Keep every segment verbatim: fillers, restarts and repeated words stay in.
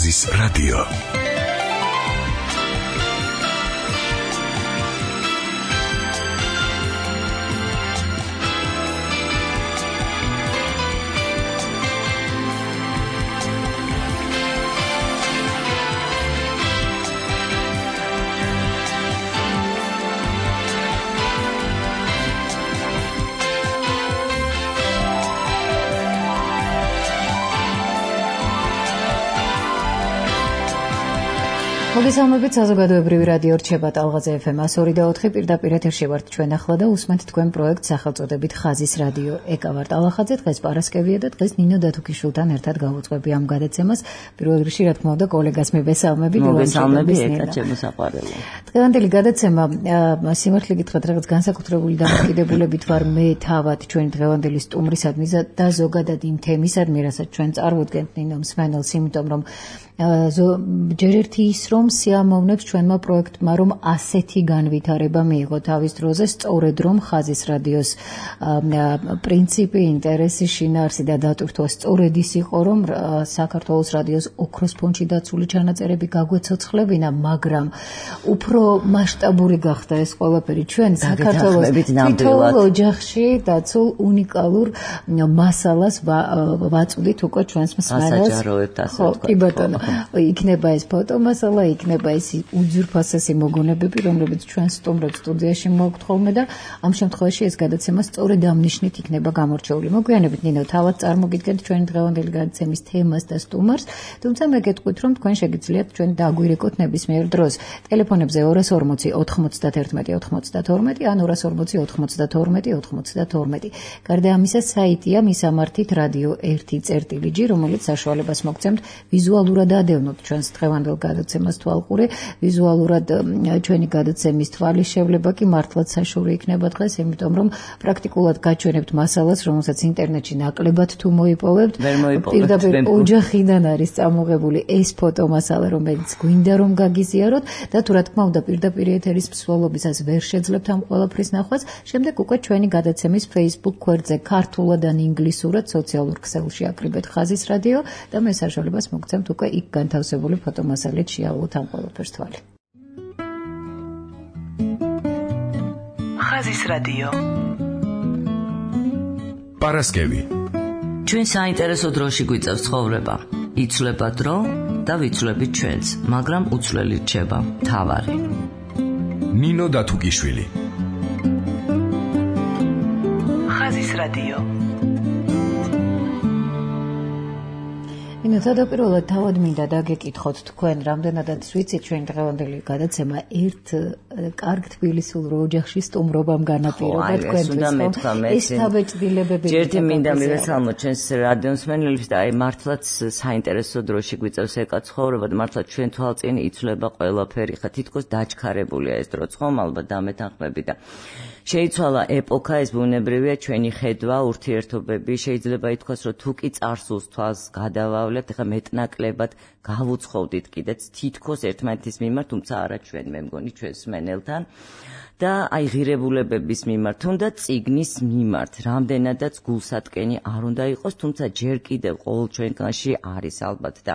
ხაზის რადიო. მოგესალმებით, საზოგადოებრივი რადიო რჩება ტალღაზე ეფ ემ one oh two point four პირდაპირ ეთერში ვართ ჩვენ ახლა და უსმენთ თქვენ პროექტს სახელწოდებით ხაზის რადიო. ეკა ვარ ტალახაძე, დღეს პარასკევია და დღეს ნინო დათუკიშვილთან ერთად გავუწყები ამ გადაცემას. პირველ რიგში რა თქმა უნდა კოლეგას მებესალმები. მოგესალმებით, ეკა ჩემო საყვარელო. დღევანდელი გადაცემა სიმართლე გითხრათ რაღაც განსაკუთრებული დამოკიდებულებით ვარ მე თავად ჩვენი დღევანდელი სტუმრისადმი და ზოგადად იმ თემისადმი, რასაც ჩვენ წარვუდგენთ ნინო მსმენელს, იმიტომ რომ ჯერ ერთი ის რომ სიამოვნებს ჩვენმა პროექტმა რომ ასეთი განვითარება მიიღო თავის დროზე, სწორედ რომ ხაზის რადიოს პრინციპი, ინტერესი, შინაარსი და დატვირთვა სწორედ ის იყო, რომ საქართველოს რადიოს ოქროს ფონდში დაცული ჩანაწერები გაგვეცოცხლებინა, მაგრამ უფრო მასშტაბური გახდა ეს ყველაფერი ჩვენ საქართველოს თითოეულ ოჯახში დაცულ უნიკალურ მასალას ვაწვდით უკვე ჩვენს მსმენელს. ასაჯაროებთ ასე ვთქვათ. კი ბატონო, იქნება ეს ფოტომასალა, იქნება ეს უძვირფასესი მოგონებები, რომლებიც ჩვენ სტუმრებს სტუდიაში მოგთ ხოლმე და ამ შემთხვევაში ეს გადაცემა სწორედ ამ ნიშნით იქნება გამორჩეული. მოგვიანებით ნინო თავად წარმოგიდგენთ ჩვენი დღევანდელი გადაცემის თემას და სტუმარს, თუმცა მე გეტყვით რომ თქვენ შეგიძლიათ ჩვენ დაგვირეკოთ ნებისმიერ დროს. ტელეფონებზე two forty ოთხმოცდაათი ოცდათორმეტი ან two forty ოთხმოცდათორმეტი ოცდათორმეტი. გარდა ამისა საიტია მისამართით რადიო one წერტილი ჯი, რომელიც საშუალებას მოგცემთ ვიზუალურად ადევნოთ ჩვენს დღევანდელ გადაცემას თვალყური, ვიზუალურად ჩვენი გადაცემის თვალის შევлება კი მართლაც საშუალო იქნება დღეს, იმიტომ რომ პრაქტიკულად გაჩვენებთ მასალას, რომელსაც ინტერნეტში ნაკლებად თუ მოიპოვებთ. პირდაპირ ოჯახიდან არის წამოღებული ეს ფოტომასალა, რომელიც გვინდა რომ გაგიზიაროთ და თუ რა თქმა უნდა პირდაპირ ეთერის მსვლელობისას ვერ შეძლებთ ამ ყველაფრის ნახვას, შემდეგ უკვე ჩვენი გადაცემის Facebook გვერდზე ქართულად ან ინგლისურად სოციალურ ქსელში აკრიბეთ ხაზის რადიო და მე საშუალებას მოგცემთ უკვე იქ განთავსებული ფოტომასალით შეავლოთ ამ ყველაფერს თვალი. ხაზის რადიო. პარასკევი. ჩვენ საინტერესო დროში გვიწევს ცხოვრება. იცვლება დრო და ვიცვლებით ჩვენც, მაგრამ უცვლელი რჩება მთავარი. ნინო დათუკიშვილი. ხაზის რადიო. ნინო, თავდაპირველად თავად მინდა დაგეკითხოთ თქვენ, რამდენადაც ვიცით ჩვენი დღევანდელი გადაცემა ერთ კარგ თბილისურ ოჯახში სტუმრობამ განაპირობა თქვენთვის. ეს თავეჭდილებები. ჯერჯერ მინდა მივესალმოთ ჩვენს რადიო მსმენელებს და აი მართლაც საინტერესო დროში გვიწევს ეკა ცხოვრება და მართლაც ჩვენ თვალწინ იცვლება ყველაფერი. ხა თითქოს დაჩქარებულია ეს დრო, ხომ ალბათ დამეთანხმები და შეიცვალა ეპოქა, ეს ბუნებრივია, ჩვენი ხედვა, ურთიერთობები, შეიძლება ითქვას, რომ თუ კი წარსულს თვალს გადავავლებთ, ხა მეტნაკლებად გავუცხოვდით კიდეც თითქოს ერთმანეთის მიმართ, თუმცა არა ჩვენ, მე მგონი ჩვენს მსმენელთან და აი ღირებულებების მიმართ, თუნდაც წიგნის მიმართ, რამდენადაც გულსატკენი არ უნდა იყოს, თუმცა ჯერ კიდევ ყოველ ჩვენგანში არის ალბათ და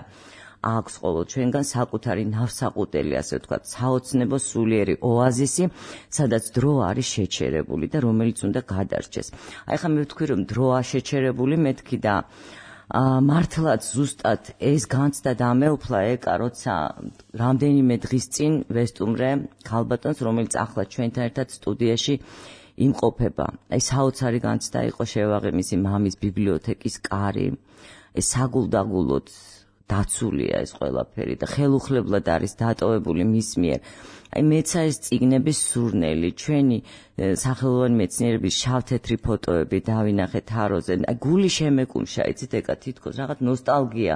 აქვს ყოველ ჩვენგან საკუთარი ნავსაყუდელი, ასე ვთქვათ, საოცნებო სულიერი ოაზისი, სადაც დრო არის შეჩერებული და რომელიც უნდა გადარჩეს. აი ხა მე ვთქვი რომ დროა შეჩერებული, მეთქი და მართლაც ზუსტად ეს განცდა დამეუფლა ეკა, როცა რამდენიმე დღის წინ ვესტუმრე ქალბატონს, რომელიც ახლა ჩვენთან ერთად სტუდიაში იმყოფება. აი საოცარი განცდა იყო შევაღე მისი მამის ბიბლიოთეკის კარი, ეს საგულდაგულოდ დაცულია ეს ყველაფერი და ხელუხლებლად არის დატოვებული მის მიერ. აი მეცა ეს წიგნების სურნელი, ჩვენი სახელოვანი მეცნიერების შავთეთრი ფოტოები დავინახეთ თაროზე. აი გული შემეკუმშა, იცით ეკა თითქოს რაღაც ნოსტალგია.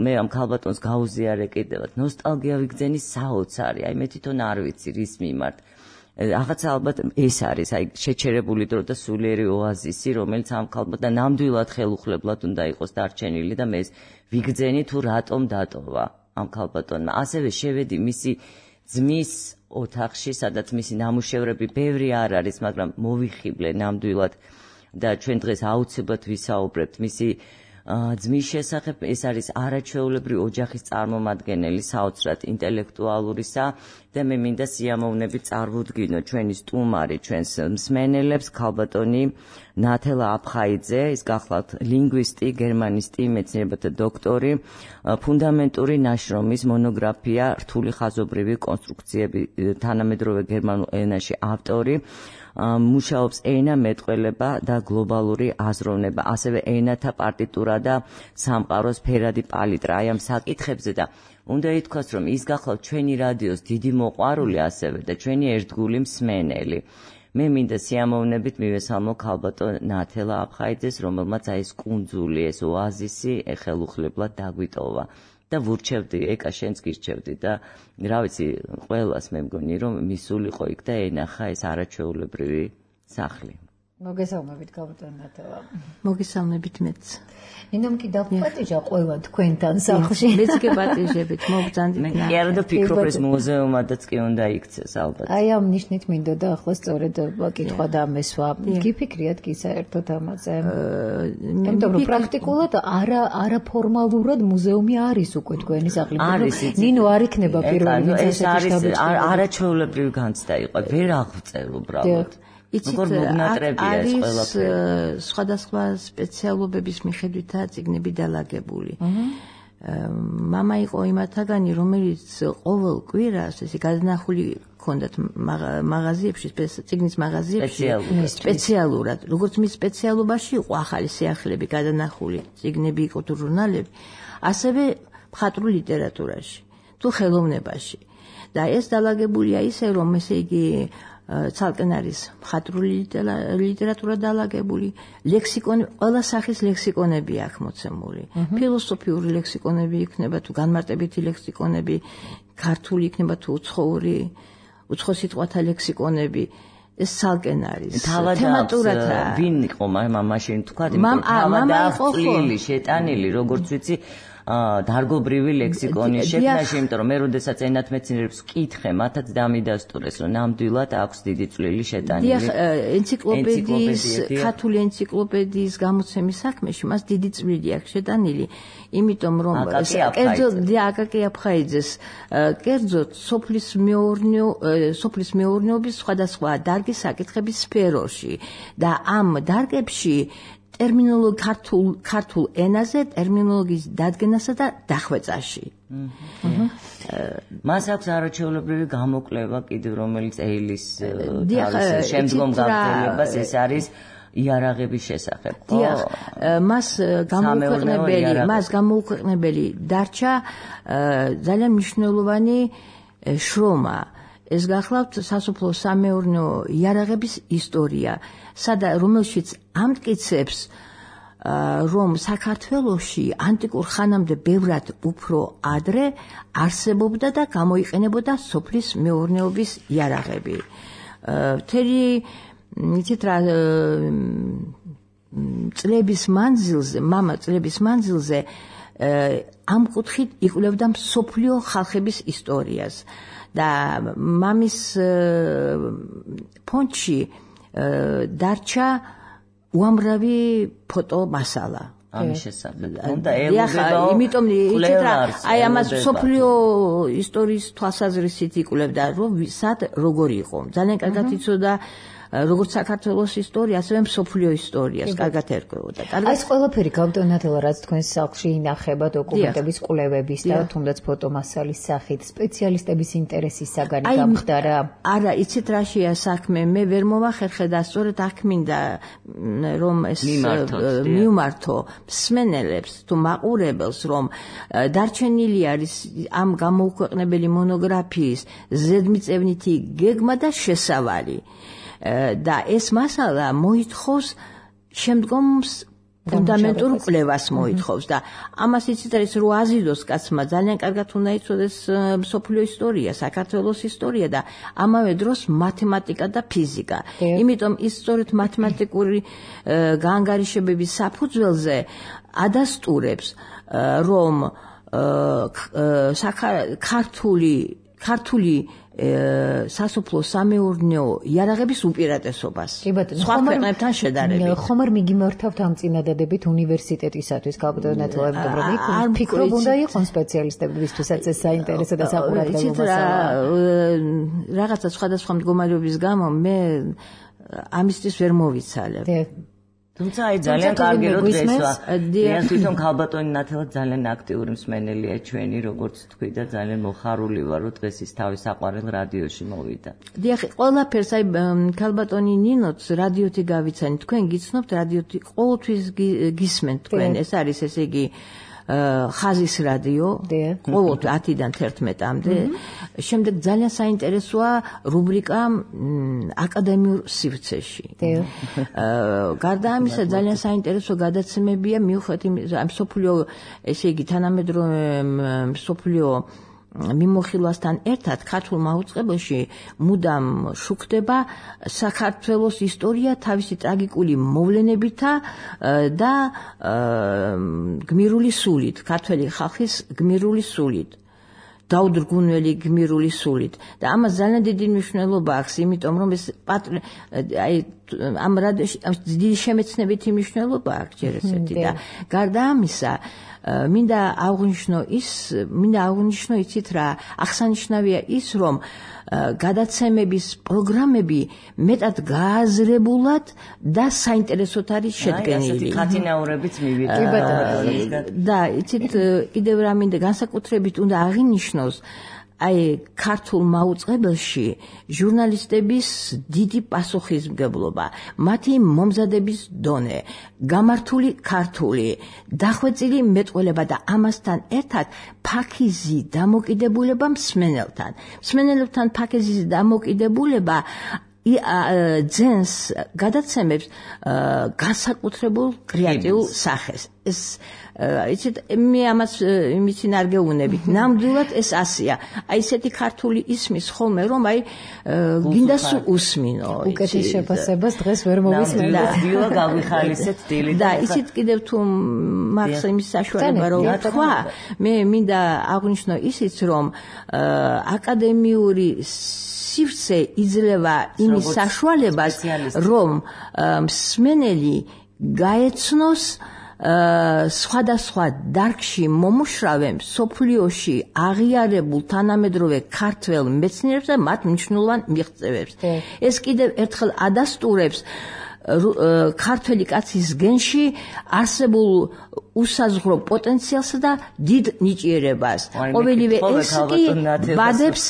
მე ამ ქალბატონს გაუზიარე კიდევაც. ნოსტალგია ვიგზენი საოცარი. აი მე თვითონ არ ვიცი რის მიმართ. რაღაც ალბათ ეს არის აი შეჩერებული დრო და სულიერი ოაზისი, რომელიც ამ ქალბატონს ნამდვილად ხელუხლებლად უნდა იყოს დარჩენილი და მე ვიგზენი თუ რატომ დატოვა ამ ქალბატონმა. ასევე შევედი მისი ძმის ოთახში, სადაც მისი ნამუშევრები ბევრი არ არის, მაგრამ მოვიხიბლე ნამდვილად და ჩვენ დღეს აუცილებლად ვისაუბრებთ მისი ძმის შესახებ, ეს არის არაჩვეულებრივი ოჯახის წარმომადგენელი საოცრად ინტელექტუალურისა და მე მინდა სიამოვნებით წარვუდგინო ჩვენი სტუმარი, ჩვენს მსმენელებს, ქალბატონი ნათელა აფხაიძე, ის გახლავთ ლინგვისტი, გერმანისტი, მეცნიერებათა დოქტორი, ფუნდამენტური ნაშრომის მონოგრაფია რთული ხაზობრივი კონსტრუქციები თანამედროვე გერმანულ ენაში ავტორი, მუშაობს ენა მეტყველება და გლობალური აზროვნება, ასევე ენათა პარტიტურა და სამყაროს ფერადი პალიტრა. აი ამ საკითხებზე და უნდა ითქვას, რომ ის გახლავთ ჩვენი რადიოს დიდი მოყვარული ასევე და ჩვენი ერთგული მსმენელი. მე მინდა სიამოვნებით მივესალმო ქალბატონ ნათელა აფხაიძეს, რომელმაც აი ეს კუნძული, ეს ოაზისი ხელუხლებლად დაგვიტოვა. და ვურჩევდი, ეკა შენც გირჩევდი და რა ვიცი, ყველას მე მგონი რომ მისულიყო იქ და ენახა ეს არაჩვეულებრივი სახლი. მოგესალმებით ქალბატონ ნათელა. მოგესალმებით მეც. ნინომ კი დაპატიჟა ყველა თქვენთან სახლში. მეც კი პატიჟებით, მოგბრძანდით. მე კი არა და ფიქრობ ეს მუზეუმადაც კი უნდა იქცეს ალბათ. აი ამ ნიშნით მინდოდა ახლა სწორედ კითხვა და ამესვა. გიფიქრიათ კი საერთოდ ამაზე? იმიტომ რომ პრაქტიკულად არა არაფორმალურად მუზეუმი არის უკვე თქვენი სახლი. ნინო არ იქნება პირველი ვინც ეს არის არაჩვეულებრივი განცდა იყო. ვერ აღვწევ უბრალოდ. იცით, არის სხვადასხვა სპეციალობების მიხედვითაა წიგნები დალაგებული. მამა იყო იმათაგანი, რომელიც ყოველ კვირას ესე გადანახული ჰქონდათ მაღაზიებში, წიგნის მაღაზიებში სპეციალურად. როგორც მის სპეციალობაში იყო ახალი სიახლეები გადანახული, წიგნები იყო თუ ჟურნალები, ასევე მხატვრულ ლიტერატურაში, თუ ხელოვნებაში. და ეს დალაგებულია ისე, რომ ესე იგი ცალკენ არის მხატვრული ლიტერატურა დალაგებული, ლექსიკონი, ყველა სახის ლექსიკონები აქვს მოცემული. ფილოსოფიური ლექსიკონები იქნება თუ განმარტებითი ლექსიკონები, ქართული იქნება თუ უცხოური, უცხო სიტყვათა ლექსიკონები. ეს ცალკენ არის. თემატურად ვინ იყო მაშინ თქვა, მამა იყო წვლილი, შეტანილი, როგორც ვიცი, დარგობრივი ლექსიკონის შექმნაში, იმიტომ რომ მე როდესაც ენათმეცნიერებს ვკითხე, მათაც დამიდასტურეს, რომ ნამდვილად აქვს დიდი წვლილი შეტანილი. დიახ, ენციკლოპედიის, ქართული ენციკლოპედიის გამოცემის საქმეში მას დიდი წვლილი აქვს შეტანილი, იმიტომ რომ კერძოდ აკაკი აფხაიძეს, კერძოდ სოფლის მეურნეო, სოფლის მეურნეობის სხვადასხვა დარგის საკითხების სფეროში და ამ დარგებში ტერმინოლოგი ქართულ ქართულ ენაზე ტერმინოლოგიის დადგენასა და დახვეწაში. მას აქვს არაჩვეულებრივი გამოკვლევა კიდევ, რომელიც ეილის შემდგომ გაგრძელებას ეს არის იარაღების შესახებ. დიახ, მას გამოუქვეყნებელი, მას გამოუქვეყნებელი დარჩა ძალიან მნიშვნელოვანი შრომა. ეს გახლავთ სასოფლო სამეურნეო იარაღების ისტორია, სადა რომელშიც ამტკიცებს, რომ საქართველოში ანტიკურ ხანამდე ბევრად უფრო ადრე არსებობდა და გამოიყენებოდა სოფლის მეურნეობის იარაღები. მთელი იცით რა წლების მანძილზე, მამა წლების მანძილზე ამ კუთხით იკვლევდა მსოფლიო ხალხების ისტორიას. და მამის ფონდში დარჩა უამრავი ფოტო მასალა. ამის შესახებ. უნდა ელოდება. იმიტომ იცით რა, აი ამას სოფლიო ისტორიის თვალსაზრისით იკვლევდა, რომ სად როგორი იყო. ძალიან კარგად იცოდა როგორც საქართველოს ისტორია, ასევე მსოფლიო ისტორიას კარგად ერკვეოდა. ეს ყველაფერი ქალბატონ ნათელა, რაც თქვენს სახლში ინახება დოკუმენტების კვლევების და თუნდაც ფოტომასალის სახით, სპეციალისტების ინტერესის საგანი გამხდარა? არა, იცით რაშია საქმე, მე ვერ მოვახერხე და სწორედ აქ მინდა რომ ეს მივმართო მსმენელებს თუ მაყურებელს, რომ დარჩენილი არის ამ გამოუქვეყნებელი მონოგრაფიის ზედმიწევნითი გეგმა და შესავალი. და ეს მასალა მოითხოვს შემდგომს ფუნდამენტურ კვლევას მოითხოვს და ამას იცით არის რომ აზიდოს კაცმა ძალიან კარგად უნდა იცოდეს მსოფლიო ისტორია, საქართველოს ისტორია და ამავე დროს მათემატიკა და ფიზიკა. იმიტომ ის სწორედ მათემატიკური გაანგარიშებების საფუძველზე ადასტურებს რომ ქართული ქართული სასოფლო სამეურნეო იარაღების უპირატესობას. სხვა ქვეყნებთან შედარებით. ხომ არ მიგიმართავთ ამ წინადადებით უნივერსიტეტისათვის ქალბატონი ნათელა, იმიტომ რომ იქ ფიქრობ უნდა იყოს სპეციალისტებისთვისაც ეს საინტერესო და საყურადღებო რაღაცა სხვადასხვა მდგომარეობის გამო მე ამისთვის ვერ მოვიცალებ. თუმცა აი ძალიან კარგი რომ დღესვა. დიახ, თვითონ ქალბატონი ნათელა ძალიან აქტიური მსმენელია ჩვენი, როგორც თქვი და ძალიან მოხარული ვარ, რომ დღეს ის თავის საყვარელ რადიოში მოვიდა. დიახ, ყველაფერს აი ქალბატონი ნინოც რადიოთი გავიცანით. თქვენ გიცნობთ რადიოთი, ყოველთვის გისმენთ თქვენ. ეს არის ესე იგი ხაზის რადიო, ყოველთვის ათიდან თერთმეტამდე. შემდეგ ძალიან საინტერესოა რუბრიკა აკადემიურ სივრცეში. გარდა ამისა ძალიან საინტერესო გადაცემებია მიუხედავად ამ სოფლიო, ესე იგი თანამედროვე სოფლიო მიმოხილვასთან ერთად ქართულ მაუწყებელში მუდამ შუქდება საქართველოს ისტორია თავისი ტრაგიკული მოვლენებითა და გმირული სულით, ქართველი ხალხის გმირული სულით, დაუდრგუნველი გმირული სულით. და ამას ძალიან დიდი მნიშვნელობა აქვს, იმიტომ რომ ეს აი ამ რადიოში დიდი შემეცნებითი მნიშვნელობა აქვს ჯერ ესეთი და გარდა ამისა მინდა აღვნიშნო ის, მინდა აღვნიშნო იცით რა, აღსანიშნავია ის, რომ გადაცემების პროგრამები მეტად გააზრებულად და საინტერესოდ არის შედგენილი. აი, ქათინაურებით მივიდა. და იცით კიდევ რა მინდა განსაკუთრებით უნდა აღინიშნოს აი ქართულ მაუწყებელში ჟურნალისტების დიდი პასუხისმგებლობა, მათი მომზადების დონე, გამართული ქართული, დახვეწილი მეტყველება და ამასთან ერთად ფაქიზი დამოკიდებულება მსმენელთან. მსმენელებთან ფაქიზის დამოკიდებულება ძენს გადაცემებს განსაკუთრებულ კრეატიულ სახეს. ეს იცით მე ამას იმითი არ გეუბნებით. ნამდვილად ეს ასია. აი ესეთი ქართული ისმის ხოლმე რომ აი გინდა სულ უსმინო. უკეთეს შეფასებას დღეს ვერ მოვისმინე. დილა გავიხალისეთ დილით. და ისიც კიდევ თუ მაქვს იმის საშუალება რომ თქვა, მე მინდა აღვნიშნო ისიც რომ აკადემიური სივრცე იძლევა იმის საშუალებას, რომ მსმენელი გაეცნოს სხვადასხვა დარგში მომუშრავე სოფლიოში აღიარებულ თანამედროვე ქართველ მეცნიერებს და მათ მნიშვნელოვან მიღწევებს. ეს კიდევ ერთხელ ადასტურებს ქართველი კაცის გენში არსებულ უსაზღვრო პოტენციალსა და დიდ ნიჭიერებას. ყოველივე ეს კი ბადებს,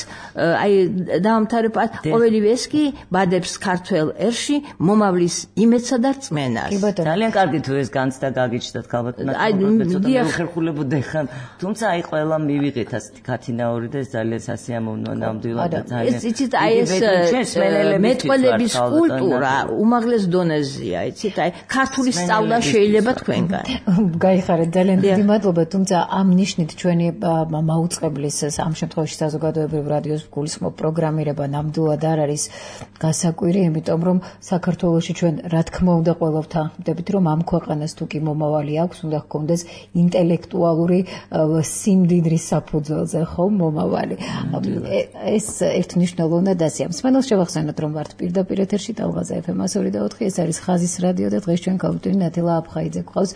აი დავამთავრებად, ყოველივე ეს კი ბადებს ქართველ ერში მომავლის იმედსა და რწმენას. ძალიან კარგი თუ ეს განცდა გაგიჩნდათ ქალბატონო. აი ცოტა მეხერხულებოდი ხან, თუმცა აი ყველა მივიღეთ ასეთი ქათინაური და ეს ძალიან სასიამოვნოა ნამდვილად და ძალიან. ეს იცით აი ეს მეტყველების კულტურა უმაღლეს დონეზეა, იცით აი ქართული სწავლა შეიძლება თქვენგან. გაიხარეთ, ძალიან დიდი მადლობა, თუმცა ამ ნიშნით ჩვენი მაუწყებლის ამ შემთხვევაში საზოგადოებრივ რადიოს გულისხმობ პროგრამირება ნამდვილად არ არის გასაკვირი, იმიტომ რომ საქართველოში ჩვენ რა თქმა უნდა ყველავთ ამბებით, რომ ამ ქვეყანას თუ კი მომავალი აქვს, უნდა ჰქონდეს ინტელექტუალური სიმდიდრის საფუძველზე ხომ მომავალი. ეს ერთმნიშვნელოვნად ასია. მსმენელს შევახსენოთ, რომ ვართ პირდაპირ ეთერში ტალღაზე ეფ ემ ასორი და ოთხი, ეს არის ხაზის რადიო და დღეს ჩვენ ქალბატონი ნათელა აფხაიძე გვყავს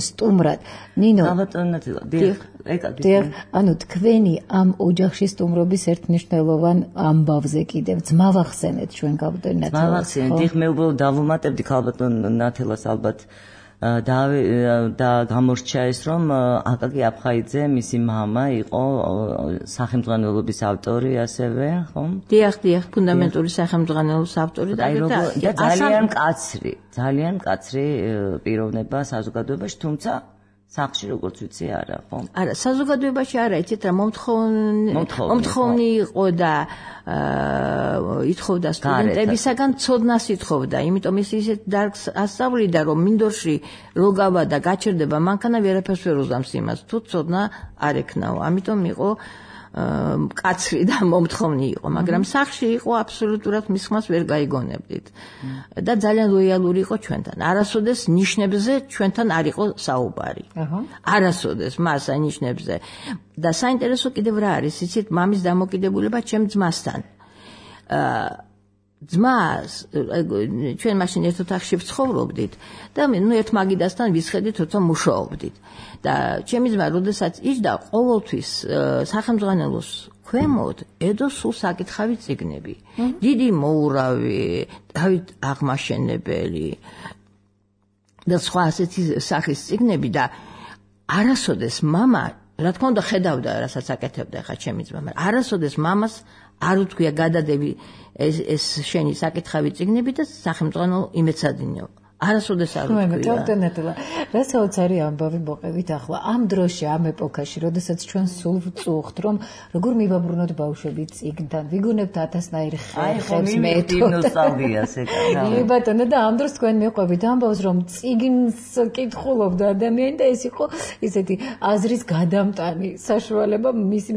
სტუმრად. ნინო, ქალბატონი ნათელა, დიახ, ეკადრე. დიახ, ანუ თქვენი ამ ოჯახში სტუმრობის ერთმნიშვნელოვან ამბავზე კიდევ ძმავახსენეთ ჩვენ ქალბატონი ნათელას. ძმავახსენეთ, დიახ, მე უბრალოდ დავუმატებდი ქალბატონ ნათელას ალბათ და და გამორჩა ეს რომ აკაკი აფხაიძე მისი მამა იყო სახელმძღვანელობის ავტორი ასევე, ხომ? დიახ, დიახ, ფუნდამენტური სახელმძღვანელობის ავტორი და ძალიან კაცრი, ძალიან კაცრი პიროვნება საზოგადოებაში, თუმცა სახში როგორც ვიცი არა, ხო? არა, საზოგადოებაში არა, იცით რა, მომთხოვნი მომთხოვნი იყო და ითხოვდა სტუდენტებისაგან ცოდნას ითხოვდა, იმიტომ ის ისეთ დარგს ასწავლიდა, რომ მინდორში რო გავა და გაჩერდება მანქანა ვერაფერს ვერ უზამს იმას, თუ ცოდნა არ ექნაო. ამიტომ იყო კაცრი და მომთხოვნი იყო, მაგრამ სახში იყო აბსოლუტურად მის ხმას ვერ გაიგონებდით. და ძალიან ლოიალური იყო ჩვენთან. არასოდეს ნიშნებზე ჩვენთან არ იყო საუბარი. არასოდეს მას ნიშნებზე. და საინტერესო კიდევ რა არის, იცით, მამის დამოკიდებულება ჩემ ძმასთან. ძმას ჩვენ მაშინ ერთ ოთახში ვცხოვრობდით და ნუ ერთ მაგიდასთან ვისხედით, როცა მუშაობდით. და ჩემი ძმა, როდესაც იჯდა, ყოველთვის სახელმძღვანელოს ქვემოთ ედო სულ საკითხავი წიგნები. დიდი მოურავი, დავით აღმაშენებელი და სხვა ასეთი სახის წიგნები და არასოდეს მამა, რა თქმა უნდა, ხედავდა, რასაც აკეთებდა ხა ჩემი ძმა, მაგრამ არასოდეს მამას არ უთქვია გადადები ეს ეს შენი საკითხავი წიგნები და სახელმწიფო იმეცადინეო. არასოდეს არ უთქვია. კაპიტანატელა, რასაც არის ამბავი მოყევით ახლა ამ დროში, ამ ეპოქაში, როდესაც ჩვენ სულ ვწუხთ, რომ როგორ მივაბრუნოთ ბავშვები წიგნთან, ვიგონებთ ათასნაირ ხერხებს მეტინოსალდიას ეკადა. კი ბატონო, და ამ დროს თქვენ მიყვებით ამბავს, რომ წიგნს კითხულობდა ადამიანი და ეს იყო ისეთი აზრის გადამტანი საშუალება მისი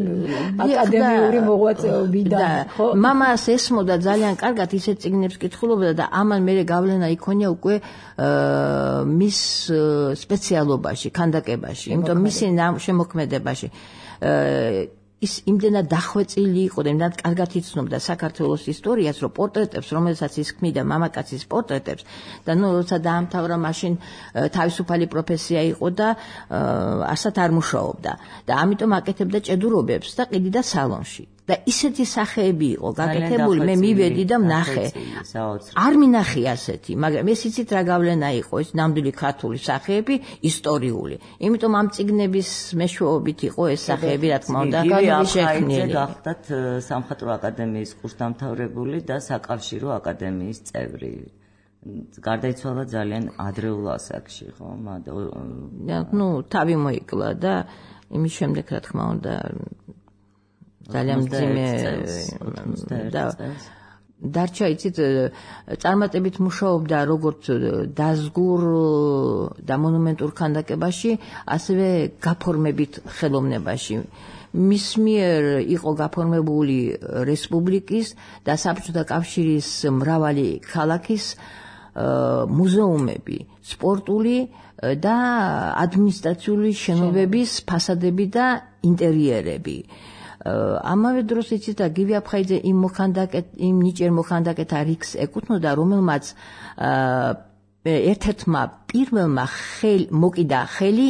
აკადემიური მოღვაწეობიდან, ხო? მამას ესმოდა ძალიან კარგად ისეთ წიგნებს კითხულობდა და ამან მერე გავლენა იქონია უკვე მის სპეციალობაში, ქანდაკებაში, იმიტომ მისი შემოქმედებაში. ის იმდენად დახვეწილი იყო და იმდენად კარგად იცნობდა საქართველოს ისტორიას, რომ პორტრეტებს, რომელსაც ის ქმნიდა მამაკაცის პორტრეტებს და ნუ როცა დაამთავრა, მაშინ თავისუფალი პროფესია იყო და ასად არ მუშაობდა და ამიტომ აკეთებდა ჭედურობებს და ყიდიდა სალონში. და ისეთი სახეები იყო გაკეთებული, მე მივედი და ვნახე. არ მინახე ასეთი, მაგრამ ეს იცით რა გავლენა იყო, ეს ნამდვილი ქართული სახეები, ისტორიული. იმიტომ ამ წიგნების მეშვეობით იყო ეს სახეები, რა თქმა უნდა, შექმნილი. გახდათ სამხატვრო აკადემიის კურსდამთავრებული და საკავშირო აკადემიის წევრი. გარდაიცვალა ძალიან ადრეულ ასაკში, ხო? ნუ თავი მოიკლა და იმის შემდეგ, რა თქმა უნდა, ძალიან მძიმე და დარჩა, იცით, წარმატებით მუშაობდა როგორც დაზგურ და მონუმენტურ ქანდაკებაში, ასევე გაფორმებით ხელოვნებაში. მის მიერ იყო გაფორმებული რესპუბლიკის და საბჭოთა კავშირის მრავალი ქალაქის მუზეუმები, სპორტული და ადმინისტრაციული შენობების ფასადები და ინტერიერები. ამავე დროს იცით, გივი აფხაიძე იმ მოხანდაკეთ იმ ნიჭიერ მოხანდაკეთა რიგს ეკუთვნოდა, რომელმაც ერთ-ერთმა პირველმა ხელი მოკიდა ხელი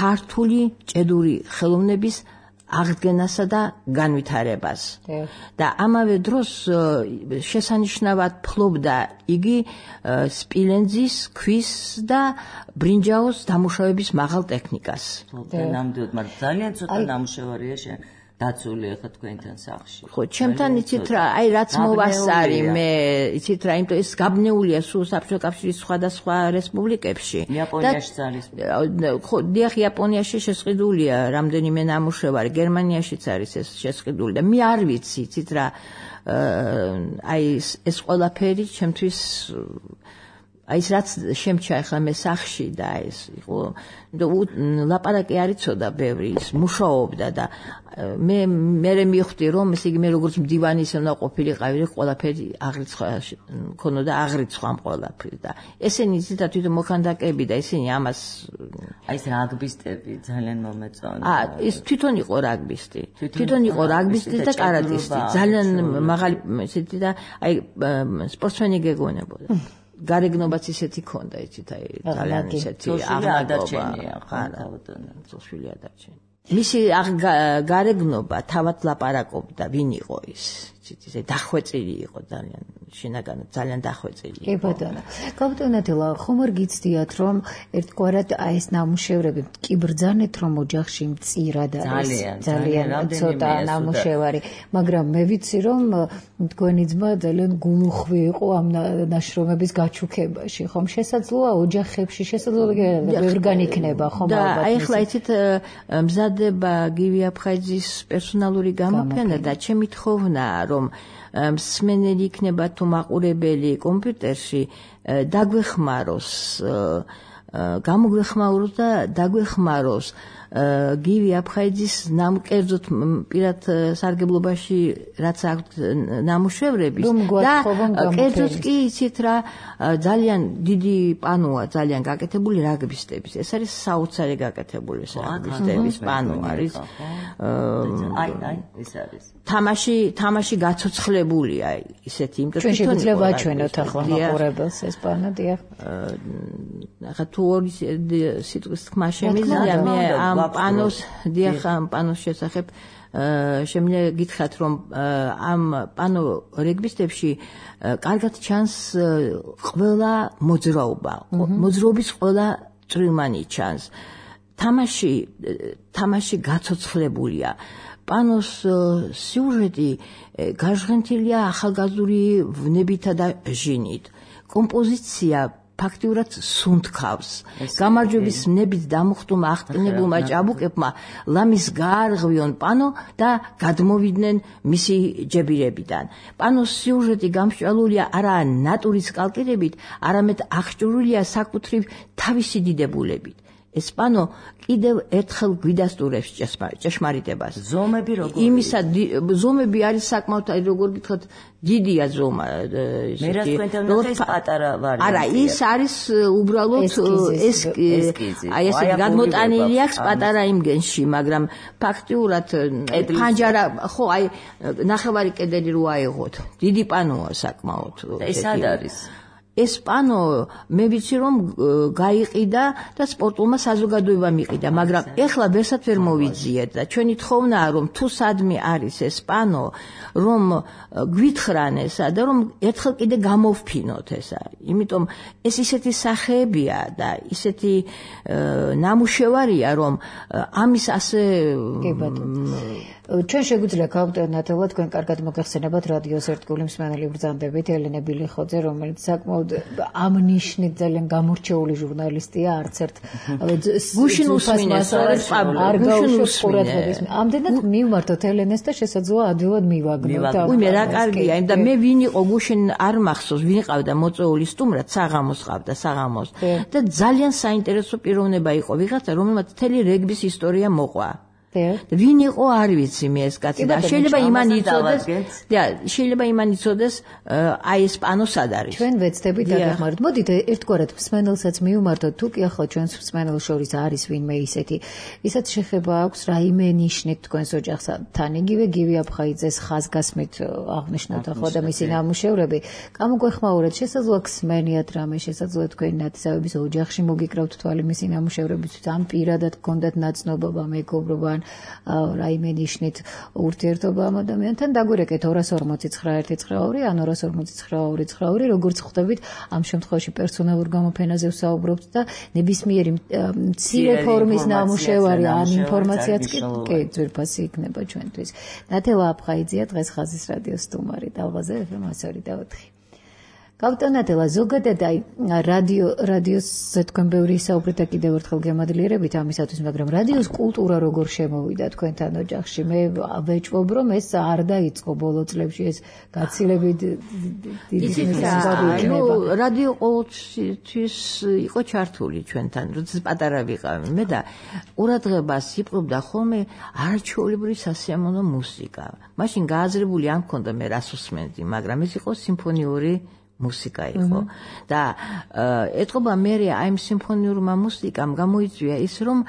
ქართული ჭედური ხელოვნების აღდგენასა და განვითარებას. და ამავე დროს შესანიშნავად ფლობდა იგი სპილენძის, ქვის და ბრინჯაოს დამუშავების მაღალ ტექნიკას. ნამდვილად, მაგრამ ძალიან ცოტა ნამუშევარია შენ დაცული ახლა თქვენთან სახლში. ხო, ჩემთან იცით რა, აი რაც მოვასწარი მე, იცით რა, იმიტომ ეს გაბნეულია სულ საბჭოთა კავშირის სხვადასხვა რესპუბლიკებში. იაპონიაში არის. ხო, დიახ, იაპონიაში შესყიდულია რამდენიმე ნამუშევარი, გერმანიაშიც არის ეს შესყიდული და მე არ ვიცი, იცით რა, აი ეს ყველაფერი ჩემთვის აი ეს რაც შემჩა ახლა მე სახში და ეს იყო ლაპარაკი არ იცოდა ბევრი, ის მუშაობდა და მე მე მივხვდი რომ ესე იგი მე როგორც მდივანი ისე უნდა ყოფილიყავი, ყველაფერი აღრიცხვა ქონოდა აღრიცხვა ამ ყველაფრის და ესენი ზედა თვითონ მოხანდაკები და ესენი ამას აი ეს რაგბისტები ძალიან მომეწონა. აა ეს თვითონ იყო რაგბისტი. თვითონ იყო რაგბისტი და კარატისტი. ძალიან მაღალი ესეთი და აი სპორტსმენი გეგონებოდა. გარეგნობაც ისეთი ქონდა, იცით, აი ძალიან ისეთი აღნაგობა. ხარა, წოშვილი ადარჩენი. მისი გარეგნობა თავად ლაპარაკობდა, ვინ იყო ის, იცით, ისე დახვეწილი იყო ძალიან, შინაგანად ძალიან დახვეწილი. კი ბატონო. კაპიტანატელა, ხომ არ გიცდიათ, რომ ერთგვარად აი ეს ნამუშევრები კი ბრძანეთ, რომ ოჯახში მწირა და ძალიან ცოტა ნამუშევარი, მაგრამ მე ვიცი, რომ თქვენი ძმა ძალიან გულუხვი იყო ამ ნაშრომების გაჩუქებაში, ხომ შესაძლოა ოჯახებში, შესაძლოა ვერ განიქნება, ხომ ალბათ. და აი ახლა იცით, მზადება გივი აფხაიძის პერსონალური გამოფენა და ჩემი თხოვნა, რომ მსმენელი იქნება თუ მაყურებელი კომპიუტერში დაგვეხმაროს გამოგვეხმაუროს და დაგვეხმაროს გივი აფხაიძის ნამკერძოდ პირად სარგებლობაში რაც აქვს ნამუშევრები და კერძოდ კი იცით რა ძალიან დიდი პანოა ძალიან გაკეთებული რაგბისტების ეს არის საოცარი გაკეთებული რაგბისტების პანო არის აი აი ეს არის თამაში თამაში გაცოცხლებულია ისეთი იმიტომ ჩვენ შეგვიძლია ვაჩვენოთ ახლა მაყურებელს ეს პანო დიახ ახლა თუ ორი სიტყვის თქმა შემიძლია მე ამ პანოს დიახ ამ პანოს შესახებ შემიძლია გითხრათ რომ ამ პანო რეგბისტებში კარგად ჩანს ყველა მოძრაობა მოძრაობის ყველა წვრილმანი ჩანს თამაში თამაში გაცოცხლებულია პანოს სიუჟეტი გაჟღენთილია ახალგაზრდული ვნებითა და ჟინით კომპოზიცია ფაქტიურად სუნთქავს გამარჯვების ნებით დამუხტუმა აღტკინებულმა ჭაბუკებმა ლამის გაარღვიონ პანო და გადმოვიდნენ მისი ჯებირებიდან პანოს სიუჟეტი გამსჭვალულია არა ნატურის კალკირებით არამედ აღჭურვილია საკუთრივ თავისი დიდებულებით ეს პანო კიდევ ერთხელ გვიდასტურებს ჭეშმარიტებას ზომები როგორია იმისა ზომები არის საკმაოდ როგორ გითხრათ დიდია ზომა მე რა თქვენთან ნახე ეს პატარა ვარიანტია არა ის არის უბრალოდ ეს აი ესე გადმოტანილი აქვს პატარა იმგენში მაგრამ ფაქტიურად ფანჯარა ხო აი ნახევარი კედელი რო აიღოთ დიდი პანოა საკმაოდ ეს არ არის ეს პანო მე ვიცი რომ გაიყიდა და სპორტულმა საზოგადოებამ იყიდა მაგრამ ეხლა ვერსაც ვერ მოვიძიეთ და ჩვენი თხოვნაა რომ თუ სადმე არის ეს პანო რომ გვითხრან ესა და რომ ერთხელ კიდე გამოვფინოთ ესა იმიტომ ეს ისეთი სახეებია და ისეთი ნამუშევარია რომ ამის ასე ჩვენ შეგვიძლია გავუტანათელოთ თქვენ კარგად მოგეხსენებათ რადიოს ერთგული მსმენელი ბრძანდებით ელენე ბილიხოძე რომელიც საკმაოდ ამ ნიშნით ძალიან გამორჩეული ჟურნალისტია არც ერთ გუშინ უსმინეს არ გაუშვებს ყურადღების ამდენად მივმართოთ ელენეს და შესაძლოა ადვილად მივაგნოთ უიმე რა კარგია და მე ვინ იყო გუშინ არ მახსოვს ვინ ყავდა მოწეული სტუმრად საღამოს ყავდა საღამოს და ძალიან საინტერესო პიროვნება იყო ვიღაცა რომელმაც მთელი რეგბის ისტორია მოყვა ვინ იყო არ ვიცი მე ეს კაცი და შეიძლება იმან იცოდეს და შეიძლება იმან იცოდეს აი ეს პანო სად არის ჩვენ ვეცდებით დაგეხმაროთ მოდით ერთგვარად მსმენელსაც მივმართოთ თუ კი ახლა ჩვენს მსმენელს შორის არის ვინმე ისეთი ვისაც შეხება აქვს რაიმე ნიშნით თქვენს ოჯახთან იგივე გივი აფხაიძეს ხაზგასმით აღნიშნოთ ახლა და მისი ნამუშევრები გამოგვეხმაურეთ შესაძლოა ხსმენიათ რამე შესაძლოა თქვენი ნათესავების ოჯახში მოგიკრავთ თვალი მისი ნამუშევრებით ამ პირადად გქონდათ ნაცნობობა მეგობრობა რაიმე ნიშნით ურთიერთობა ამ ადამიანთან დაგვირეკეთ ორას ორმოცი ცხრა ერთი ცხრა ორი ან ორას ორმოცი ცხრა ორი ცხრა ორი როგორც ხვდებით ამ შემთხვევაში პერსონალურ გამოფენაზე ვსაუბრობთ და ნებისმიერი მცირე ფორმის ნამუშევარი ან ინფორმაციაც კი ძვირფასი იქნება ჩვენთვის ნათელა აფხაიძეა დღეს ხაზის რადიოს სტუმარი დალღაზე ეფ ემ ასორი და ოთხი გავტანათელა ზოგადად აი რადიო რადიოზე თქვენ ბევრი საუბრით და კიდევ ერთხელ გემადლიერებით ამისათვის მაგრამ რადიოს კულტურა როგორ შემოვიდა თქვენთან ოჯახში მე ვეჭვობ რომ ეს არ დაიწყო ბოლო წლებში ეს გაცილებით დიდი მიზეზი იქნება რადიო ყოველთვის იყო ჩართული ჩვენთან როდესაც პატარა ვიყავი მე და ყურადღებას იპყრობდა ხოლმე არაჩვეულებრივი სასიამოვნო მუსიკა მაშინ გააზრებული არ მქონდა მე რას უსმენდი მაგრამ ეს იყო სიმფონიური მუსიკა იყო და ეთყობა მე აი ამ სიმფონიურმა მუსიკამ გამოიწვია ის რომ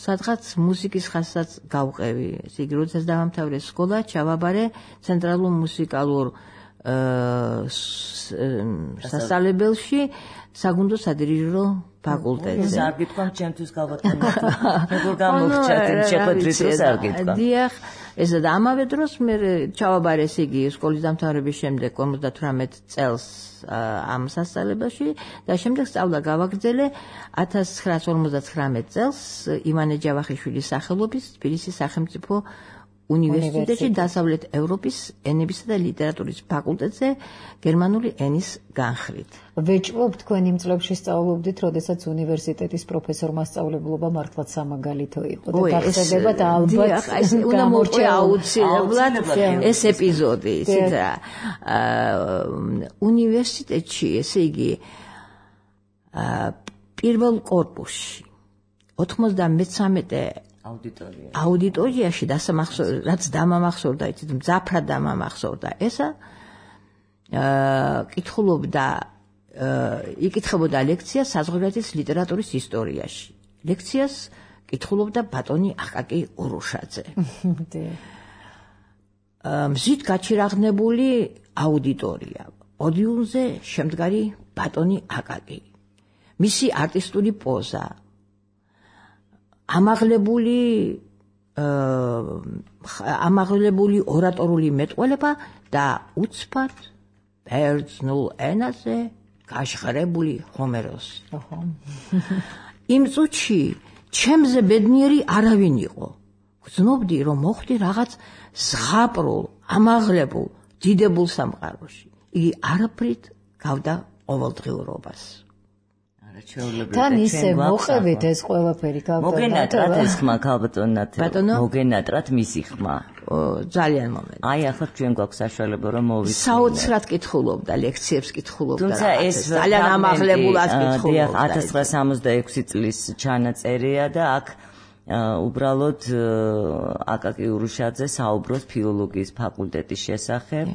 სადღაც მუსიკის ხასიათს გავყევი ესე იგი როდესაც დავამთავრე სკოლა ჩავაბარე ცენტრალურ მუსიკალურ სასწავლებელში საგუნდო სადირიჟორო ფაკულტეტზე არ გითხრა ჩემთვის გავაკეთე როგორ გამოგჩათ შეხვედრის დროს არ გითხრა დიახ ესა და ამავე დროს მე ჩავაბარე ესე იგი სკოლის დამთავრების შემდეგ ორმოცდათვრამეტ წელს ამ სასწავლებელში და შემდეგ სწავლა გავაგრძელე ათას ცხრაასი ორმოცდათხრამეტ წელს ივანე ჯავახიშვილის სახელობის თბილისის სახელმწიფო უნივერსიტეტში დასავლეთ ევროპის ენებისა და ლიტერატურის ფაკულტეტზე გერმანული ენის განხრით. ვეჭვობ თქვენ იმ წლებში სწავლობდით, როდესაც უნივერსიტეტის პროფესორმა სწავლებლობა მართლაც სამაგალითო იყო და გახსენებათ ალბათ უნდა მოყვე აუცილებლად ეს ეპიზოდი, ისეთ რა. უნივერსიტეტში, ესე იგი პირველ კორპუსში ოთხმოცდამეცამეტე აუდიტორია. აუდიტორიაში დასამახსოვრდა, რაც დამამახსოვრდა, იცით, მძაფრად დამამახსოვრდა. ესა კითხულობდა, იკითხებოდა ლექციას საზღვარგარეთის ლიტერატურის ისტორიაში. ლექციას კითხულობდა ბატონი აკაკი ურუშაძე. მზით გაჩირაღნებული აუდიტორია. პოდიუმზე შემდგარი ბატონი აკაკი. მისი არტისტული პოზა. ამაღლებული ამაღლებული ორატორული მეტყველება და უცბად ბერძნულ ენაზე გაშღრებული ჰომეროსი. იმ წუთში ჩემზე ბედნიერი არავინ იყო. გრძნობდი, რომ მოხვდი რაღაც ზღაპრულ, ამაღლებულ, დიდებულ სამყაროში. იგი არაფრით გავდა ყოველდღიურობას. თან ისე მოყევით ეს ყველაფერი გავდა. მოგენატრათ ეს ხმა ქალბატონად. მოგენატრათ მისი ხმა. ძალიან მომენტი. აი ახლა ჩვენ გვაქვს საშუალება რომ მოვიცნო. საოცრად კითხულობდა, ლექციებს კითხულობდა. თუმცა ეს ძალიან ამაღლებულად კითხულობდა. ათას ცხრაასა სამოცდაექვსი წლის ჩანაწერია და აქ უბრალოდ აკაკი ურუშაძე საუბრობს ფილოლოგიის ფაკულტეტის შესახებ.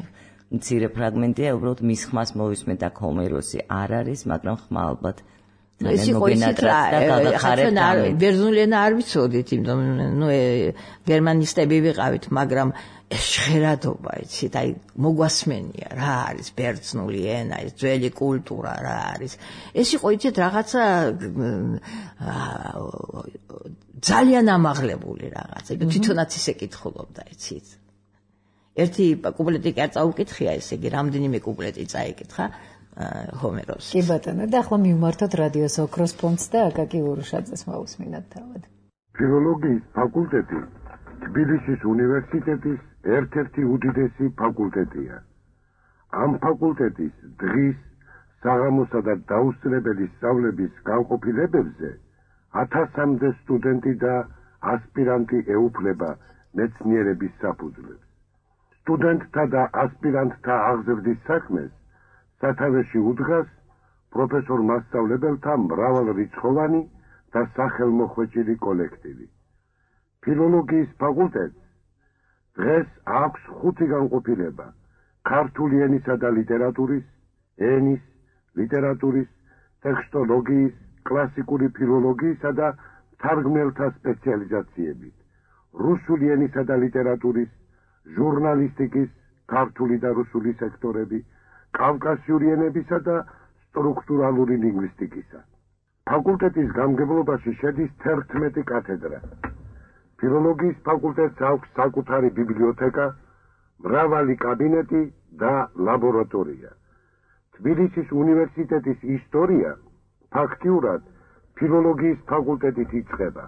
მცირე ფრაგმენტია, უბრალოდ მის ხმას მოვისმენთ და ჰომეროსი არ არის, მაგრამ ხმა ალბათ ეს იყო ისეთ რა, ბერძნული ენა არ ვიცოდით, იმიტომ ნუ გერმანისტები ვიყავით, მაგრამ ეს ჟღერადობა, იცით, აი მოგვასმენია რა არის ბერძნული ენა, ეს ძველი კულტურა რა არის. ეს იყო იცით რაღაცა ძალიან ამაღლებული რაღაცა, თვითონაც ისე კითხულობდა, იცით. ერთი კუპლეტი კი არ წაუკითხია, ესე იგი, რამდენიმე კუპლეტი წაიკითხა ჰომეროსს. კი ბატონო, და ახლა მივმართოთ რადიოს ოქროს ფონდს და აკაკი ურუშაძეს მოვუსმინოთ თავად. ფილოლოგიის ფაკულტეტი თბილისის უნივერსიტეტის ერთ-ერთი უდიდესი ფაკულტეტია. ამ ფაკულტეტის დღის საღამოსა და დაუსწრებელი სწავლების განყოფილებებზე ათასამდე სტუდენტი და ასპირანტი ეუფლება მეცნიერების საფუძვლებს. სტუდენტთა და ასპირანტთა აღზრდის საქმეს სათავეში უდგას პროფესორ მასწავლებელთა მრავალრიცხოვანი და სახელმოხვეჭილი კოლექტივი. ფილოლოგიის ფაკულტეტს დღეს აქვს ხუთი განყოფილება: ქართული ენისა და ლიტერატურის, ენის, ლიტერატურის, ტექსტოლოგიის, კლასიკური ფილოლოგიისა და თარგმნელთა სპეციალიზაციებით, რუსული ენისა და ლიტერატურის, ჟურნალისტიკის, ქართული და რუსული სექტორები, კავკასიური ენებისა და სტრუქტურალური ლინგვისტიკისა. ფაკულტეტის გამგებლობაში შედის თერთმეტი კათედრა. ფილოლოგიის ფაკულტეტს აქვს საკუთარი ბიბლიოთეკა, მრავალი კაბინეტი და ლაბორატორია. თბილისის უნივერსიტეტის ისტორია ფაქტიურად ფილოლოგიის ფაკულტეტით იწყება.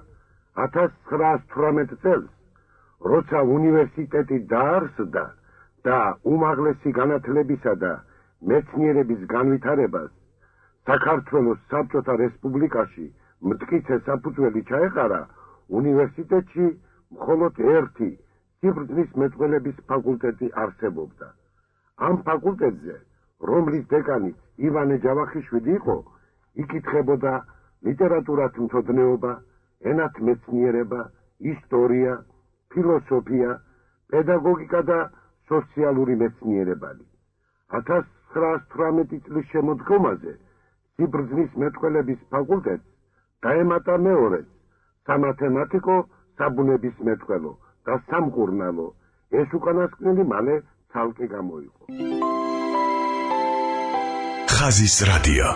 ათას ცხრაასა თვრამეტ წელს, როცა უნივერსიტეტი დაარსდა და უმაღლესი განათლებისა და მეცნიერების განვითარებას საქართველოს საბჭოთა რესპუბლიკაში მტკიცე საფუძველი ჩაეყარა, უნივერსიტეტში მხოლოდ ერთი სიბრძნის მეტყველების ფაკულტეტი არსებობდა. ამ ფაკულტეტზე, რომლის დეკანიც ივანე ჯავახიშვილი იყო, იკითხებოდა ლიტერატურათმცოდნეობა, ენათმეცნიერება, ისტორია, ფილოსოფია, პედაგოგიკა და სოციალური მეცნიერებანი. ათას ცხრაასა თვრამეტი წლის შემოდგომაზე სიბრძნის მეტყველების ფაკულტეტს დაემატა მეორეც სამათემატიკო, საბუნებისმეტყველო და სამკურნალო. ეს უკანასკნელი მალე ცალკე გამოიყო. ხაზის რადიო.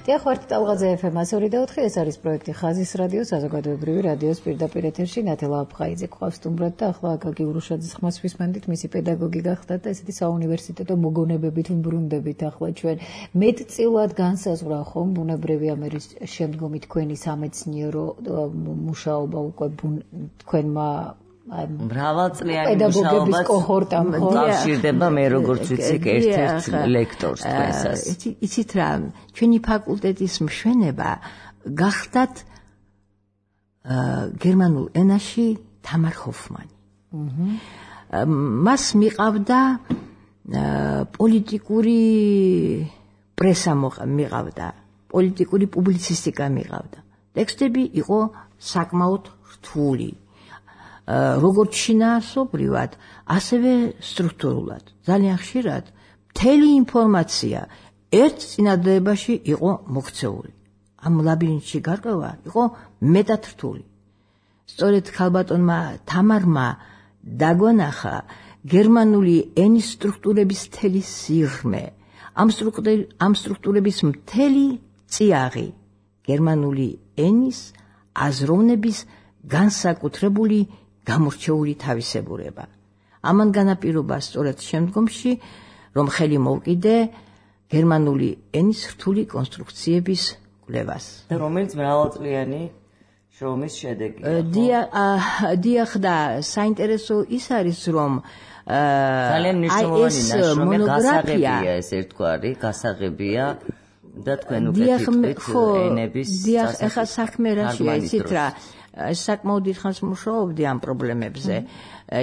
დიახ, ტალღაზე ეფ ემ ასორი და ოთხი, ეს არის პროექტი ხაზის რადიო, საზოგადოებრივი რადიოს პირდაპირ ეთერში. ნათელა აფხაიძე გვყავს სტუმრად და ახლა აკაკი ურუშაძის ხმას ვისმენდით, მისი პედაგოგი გახდათ და ესეთი საუნივერსიტეტო მოგონებებით ვბრუნდებით ახლა ჩვენ. მეტწილად განსაზღვრა ხომ ბუნებრივი ამერის შემდგომი თქვენი სამეცნიერო მუშაობა უკვე თქვენმა მრავალწლიანი მუშაობა კოჰორტამ უკავშირდება მე როგორც ვიცი ერთ-ერთ ლექტორს თქვენსას. იცით რა, ჩვენი ფაკულტეტის მშვენება გახდათ გერმანულ ენაში თამარ ჰოფმანი. მას მიყავდა პოლიტიკური პრესა მიყავდა, პოლიტიკური პუბლიცისტიკა მიყავდა. ტექსტები იყო საკმაოდ რთული. როგორც შინაარსობრივად, ასევე სტრუქტურულად. ძალიან ხშირად მთელი ინფორმაცია ერთ წინადადებაში იყო მოქცეული. ამ ლაბირინთში გარკვევა იყო მეტად რთული. სწორედ ქალბატონმა თამარმა დაგვანახა გერმანული ენის სტრუქტურების მთელი სიღრმე, ამ სტრუქტურების მთელი წიაღი, გერმანული ენის აზროვნების განსაკუთრებული გამორჩეული თავისებურება. ამან განაპირობა სწორედ შემდგომში, რომ ხელი მოუკიდე გერმანული ენის რთული კონსტრუქციების კვლევას. და რომელიც მრავალწლიანი შრომის შედეგი. დიახ და საინტერესო ის არის, რომ ძალიან მნიშვნელოვანი ნაშრომია, გასაღებია ეს ერთგვარი, გასაღებია და თქვენ უკეთებთ ენების წასახელს. დიახ, ეხლა საქმე რაშია იცით რა, საკმაოდ დიდხანს მუშაობდი ამ პრობლემებზე,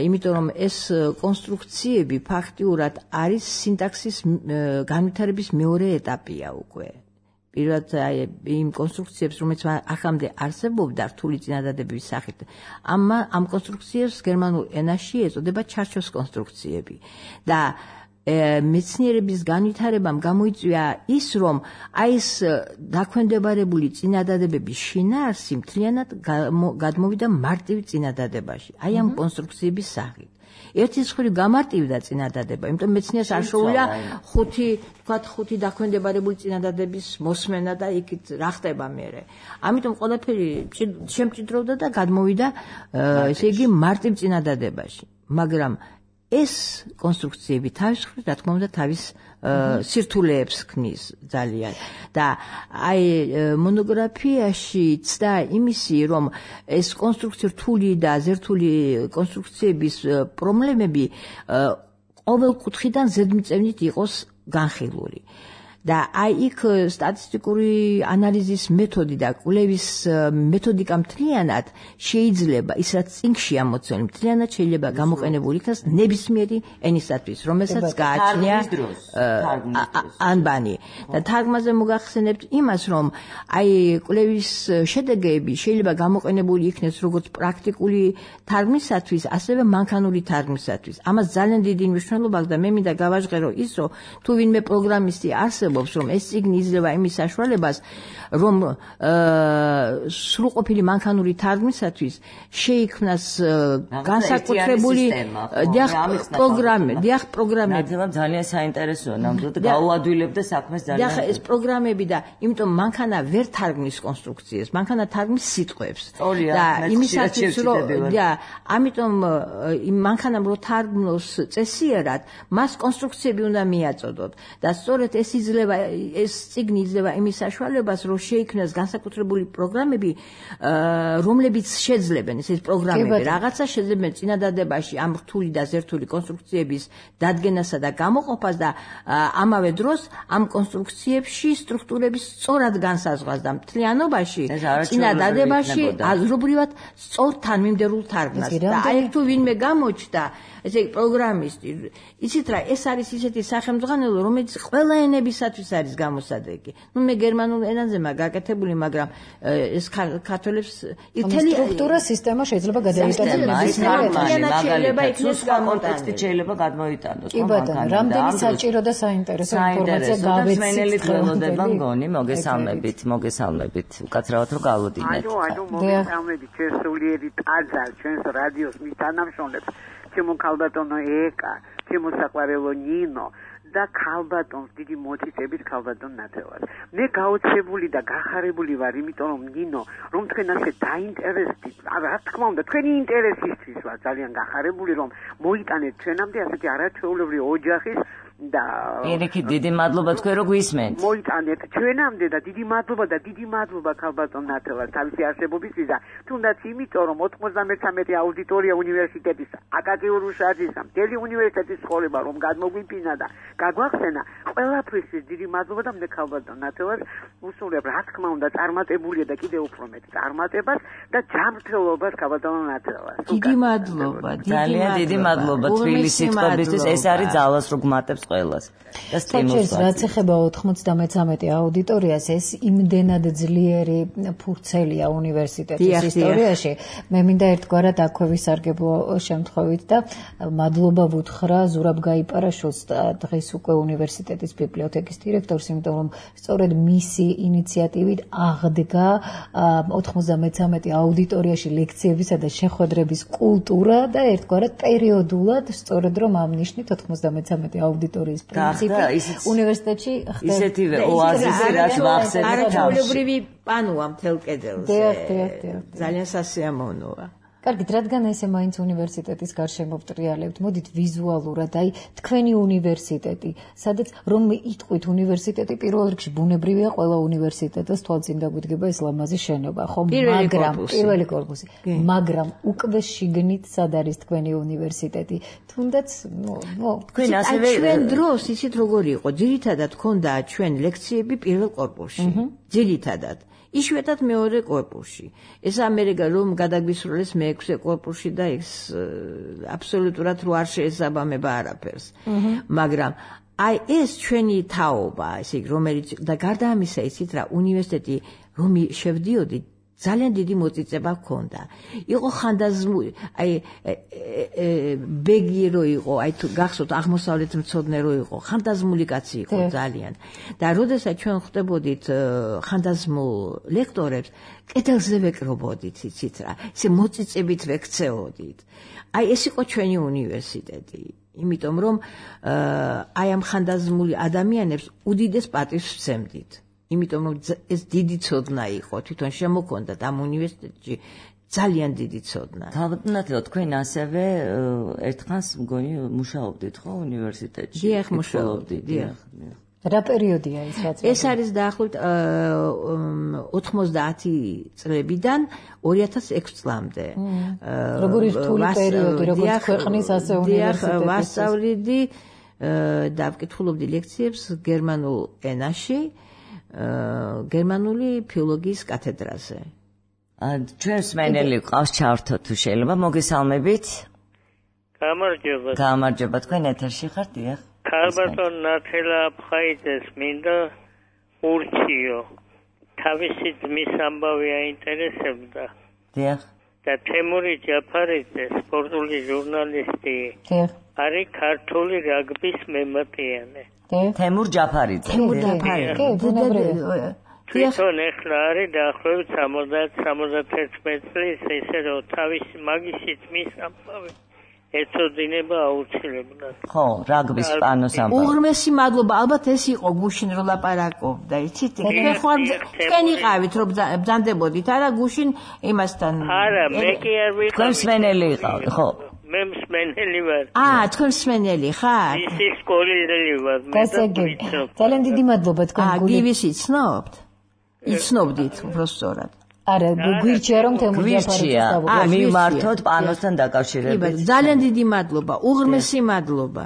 იმიტომ რომ ეს კონსტრუქციები ფაქტიურად არის სინტაქსის განვითარების მეორე ეტაპია უკვე. პირველად იმ კონსტრუქციებს, რომელიც ახამდე არსებობდა რთული წინადადების სახით, ამ ამ კონსტრუქციებს გერმანულ ენაში ეწოდება ჩარჩოს კონსტრუქციები. და მეცნიერების განვითარებამ გამოიწვია ის, რომ აი ეს დაქვემდებარებული წინადადებების შინაარსი მთლიანად გადმოვიდა მარტივ წინადადებაში, აი ამ კონსტრუქციების სახით. ერთი მხრივ გამარტივდა წინადადება, იმიტომ მეცნიერს არ შეუძლია ხუთი, თქვათ ხუთი დაქვემდებარებული წინადადების მოსმენა და იქით რა ხდება მერე. ამიტომ ყველაფერი შემჭიდროვდა და გადმოვიდა, ესე იგი, მარტივ წინადადებაში. მაგრამ ეს კონსტრუქციები თავის მხრივ, რა თქმა უნდა, თავის სირთულეებს ქმნის ძალიან. და აი მონოგრაფიაში ცდა იმისი, რომ ეს კონსტრუქცია რთული და ზერთული კონსტრუქციების პრობლემები ყოველ კუთხიდან ზედმიწევნით იყოს განხილული. და აი იქ სტატისტიკური ანალიზის მეთოდი და კვლევის მეთოდიკა მთლიანად შეიძლება, ის რაც წინგში ამოცემული, მთლიანად შეიძლება გამოყენებული იქნას ნებისმიერი ენისათვის, რომელსაც გააჩნია ანბანი. და თარგმანზე მოგახსენებთ იმას, რომ აი კვლევის შედეგები შეიძლება გამოყენებული იქნეს როგორც პრაქტიკული თარგმნისათვის, ასევე მანქანური თარგმნისათვის. ამას ძალიან დიდი მნიშვნელობა აქვს და მე მინდა გავაჟღერო ის, რომ თუ ვინმე პროგრამისტი არსებობს, რომ ეს წიგნი იძლევა იმის საშუალებას, რომ სრულყოფილი მანქანური თარგმნისათვის შეიქმნას განსაკუთრებული პროგრამები, დიახ პროგრამები. ძალიან საინტერესოა, ნამდვილად გაუადვილებდა საქმეს ძალიან. დიახ, ეს პროგრამები და იმიტომ მანქანა ვერ თარგმნის კონსტრუქციებს, მანქანა თარგმნის სიტყვებს. და იმისათვის, რომ და ამიტომ იმ მანქანამ რო თარგმნოს წესიერად, მას კონსტრუქციები უნდა მიაწოდოთ. და სწორედ ეს იძლევა ეს წიგნი იძლევა იმის საშუალებას, რომ შეიქმნას განსაკუთრებული პროგრამები, რომლებიც შეძლებენ ეს პროგრამები რაღაცა შეძლებენ წინადადებაში ამ რთული და ზერთული კონსტრუქციების დადგენასა და გამოყოფას და ამავე დროს ამ კონსტრუქციებში სტრუქტურების სწორად განსაზღვრას და მთლიანობაში წინადადებაში აზრობრივად სწორ თანმიმდევრულ თარგმნას. და აი თუ ვინმე გამოჩნდა ესე იგი პროგრამისტი, იცით რა, ეს არის ისეთი სახელმძღვანელო, რომელიც ყველა ენებისათვის არის გამოსადეგი. ნუ მე გერმანულ ენაზე მაგ გაკეთებული, მაგრამ ეს ქართველებს ითელი სტრუქტურა სისტემა შეიძლება გადაიტანოს შეიძლება იქნეს კონტექსტით შეიძლება გადმოიტანოს. კი ბატონო, რამდენი საჭირო და საინტერესო ინფორმაცია გავეცით ხელოდება მგონი, მოგესალმებით, მოგესალმებით. უკაცრავად რომ გავუდინეთ. ანუ ანუ მოგესალმებით ჩვენ სულიერი ტაძარ ჩვენს რადიოს მისთანამშრომლებს. ჩემო ქალბატონო ეკა, ჩემო საყვარელო ნინო და ქალბატონს დიდი მოწიწებით ქალბატონ ნათელას. მე გაოცებული და გახარებული ვარ, იმიტომ რომ ნინო, რომ თქვენ ასე დაინტერესდით, რა თქმა უნდა, თქვენი ინტერესისთვის ვარ ძალიან გახარებული, რომ მოიტანეთ ჩვენამდე ასეთი არაჩვეულებრივი ოჯახის და პირიქით დიდი მადლობა თქვენ რო გვისმენთ. მოიტანეთ ჩვენამდე და დიდი მადლობა და დიდი მადლობა ქალბატონ ნათელას თავისი არსებობისთვისა, თუნდაც იმიტომ რომ ოთხმოცდამეცამეტე აუდიტორია უნივერსიტეტის აკადემიურ შარჯისა, მთელი უნივერსიტეტის ცხოვრება რომ გადმოგვიფინა და გაგვახსენა, ყველაფრისთვის დიდი მადლობა და მე ქალბატონ ნათელას უსურვებ, რა თქმა უნდა, წარმატებულია და კიდევ უფრო მეტ წარმატებას და ჯანმრთელობას ქალბატონ ნათელას. დიდი მადლობა, ძალიან დიდი მადლობა თბილისის წყობისთვის, ეს არის ძალას რო გმატებს ყველას და სტიმულს. რაც ეხება ოთხმოცდამეცამეტე აუდიტორიას, ეს იმდენად ძლიერი ფურცელია უნივერსიტეტის ისტორიაში. მე მინდა ერთგვარად აქვე ვისარგებლო შემთხვევით და მადლობა ვუთხრა ზურაბ გაიპარაშვილს, დღეს უკვე უნივერსიტეტის ბიბლიოთეკის დირექტორს, იმიტომ რომ სწორედ მისი ინიციატივით აღდგა ოთხმოცდამეცამეტე აუდიტორიაში ლექციებისა და შეხვედრების კულტურა და ერთგვარად პერიოდულად სწორედ რომ ამ ნიშნით ოთხმოცდამეცამეტე აუდიტორიის პრინციპი უნივერსიტეტში ხდება. ისეთივე ოაზისი რაც ვახსენეთ არაჩვეულებრივი პანოა მთელ კედელზე. დიახ, დიახ, დიახ. ძალიან სასიამოვნოა. კარგით, რადგან ესე მაინც უნივერსიტეტის გარშემო ვტრიალებთ, მოდით ვიზუალურად, აი, თქვენი უნივერსიტეტი, სადაც რომ იტყვით უნივერსიტეტი პირველ რიგში ბუნებრივია, ყველა უნივერსიტეტს თვალწინ დაგვიდგება ეს ლამაზი შენობა, ხო? მაგრამ პირველი კორპუსი, მაგრამ უკვე შიგნით სად არის თქვენი უნივერსიტეტი? თუნდაც, ნუ, ნუ, თქვენ ასევე ჩვენ დროს ისეთ როგორი იყო, ძირითადად ქონდა ჩვენ ლექციები პირველ კორპუსში. ძირითადად იშვიათად მეორე კორპუსში. ეს ამერიკა რომ გადაგვისროლეს მეექვსე კორპუსში და ეს აბსოლუტურად რო არ შეესაბამება არაფერს. მაგრამ აი ეს ჩვენი თაობა, ესე იგი რომელიც და გარდა ამისა ისიც რა უნივერსიტეტი რომ შევდიოდი ძალიან დიდი მოწიწება ჰქონდა. იყო ხანდაზმული, აი ბეგი რო იყო, აი თუ გახსოვთ აღმოსავლეთ მცოდნე რო იყო, ხანდაზმული კაცი იყო ძალიან. და როდესაც ჩვენ ხვდებოდით ხანდაზმულ ლექტორებს, კედელზე ვეკრობოდით, იცით რა, ესე მოწიწებით ვექცეოდით. აი ეს იყო ჩვენი უნივერსიტეტი. იმიტომ რომ აი ამ ხანდაზმული ადამიანებს უდიდეს პატივს ვცემდით. იმიტომ რომ ეს დიდი ცოდნა იყო, თვითონ შემოქონდათ ამ უნივერსიტეტში ძალიან დიდი ცოდნა. თავდანათლად თქვენ ასევე ერთხანს მგონი მუშაობდით ხო უნივერსიტეტში? დიახ, მუშაობდი, დიახ. რა პერიოდია ეს რაც? ეს არის დაახლოებით ოთხმოცდაათი წლებიდან ორი ათას ექვსი წლამდე. როგორი რთული პერიოდი, როგორც ქვეყნის ასე უნივერსიტეტის. დიახ, ვასწავლიდი და ვკითხულობდი ლექციებს გერმანულ ენაში. გერმანული ფილოლოგიის კათედრაზე. ჩვენს მენელი ყავს ჩართო თუ შეიძლება მოგესალმებით. გამარჯობა. გამარჯობა, თქვენ ეთერში ხართ, დიახ. ქალბატონ ნათელა აფხაიძეს მინდა ურჩიო. თავისი ძმის ამბავი აინტერესებდა. დიახ. და თემური ჯაფარიძე, სპორტული ჟურნალისტი. დიახ. არის ქართული რაგბის მემატიანე. თემურ ჯაფარიძე. თემურ ჯაფარიძე. თვითონ ეხლა არის დაახლოებით სამოცდაათ სამოცდაერთი წლის, ესე რომ თავის მაგისი ძმის ამბავი ეწოდინება აუცილებლად. ხო, რაგბის პანოს ამბავი. უღრმესი მადლობა, ალბათ ეს იყო გუშინ რო ლაპარაკობდა, იცით? თქვენ ხარ თქვენ იყავით რომ ბრძანდებოდით, არა გუშინ იმასთან. არა, მე კი არ ვიყავი. თქვენ მსმენელი იყავით, ხო? მე მსმენელი ვარ. აა, თქვენ მსმენელი ხარ? ისი სკოლელი ვარ. ძალიან დიდი მადლობა თქვენ გული. აა, გივის იცნობთ? იცნობდით უბრალოდ. არა, გვირჩია რომ თემურ ჯაფარიძეს დავუყო. მიმართოთ პანოსთან დაკავშირებით. ძალიან დიდი მადლობა, უღრმესი მადლობა.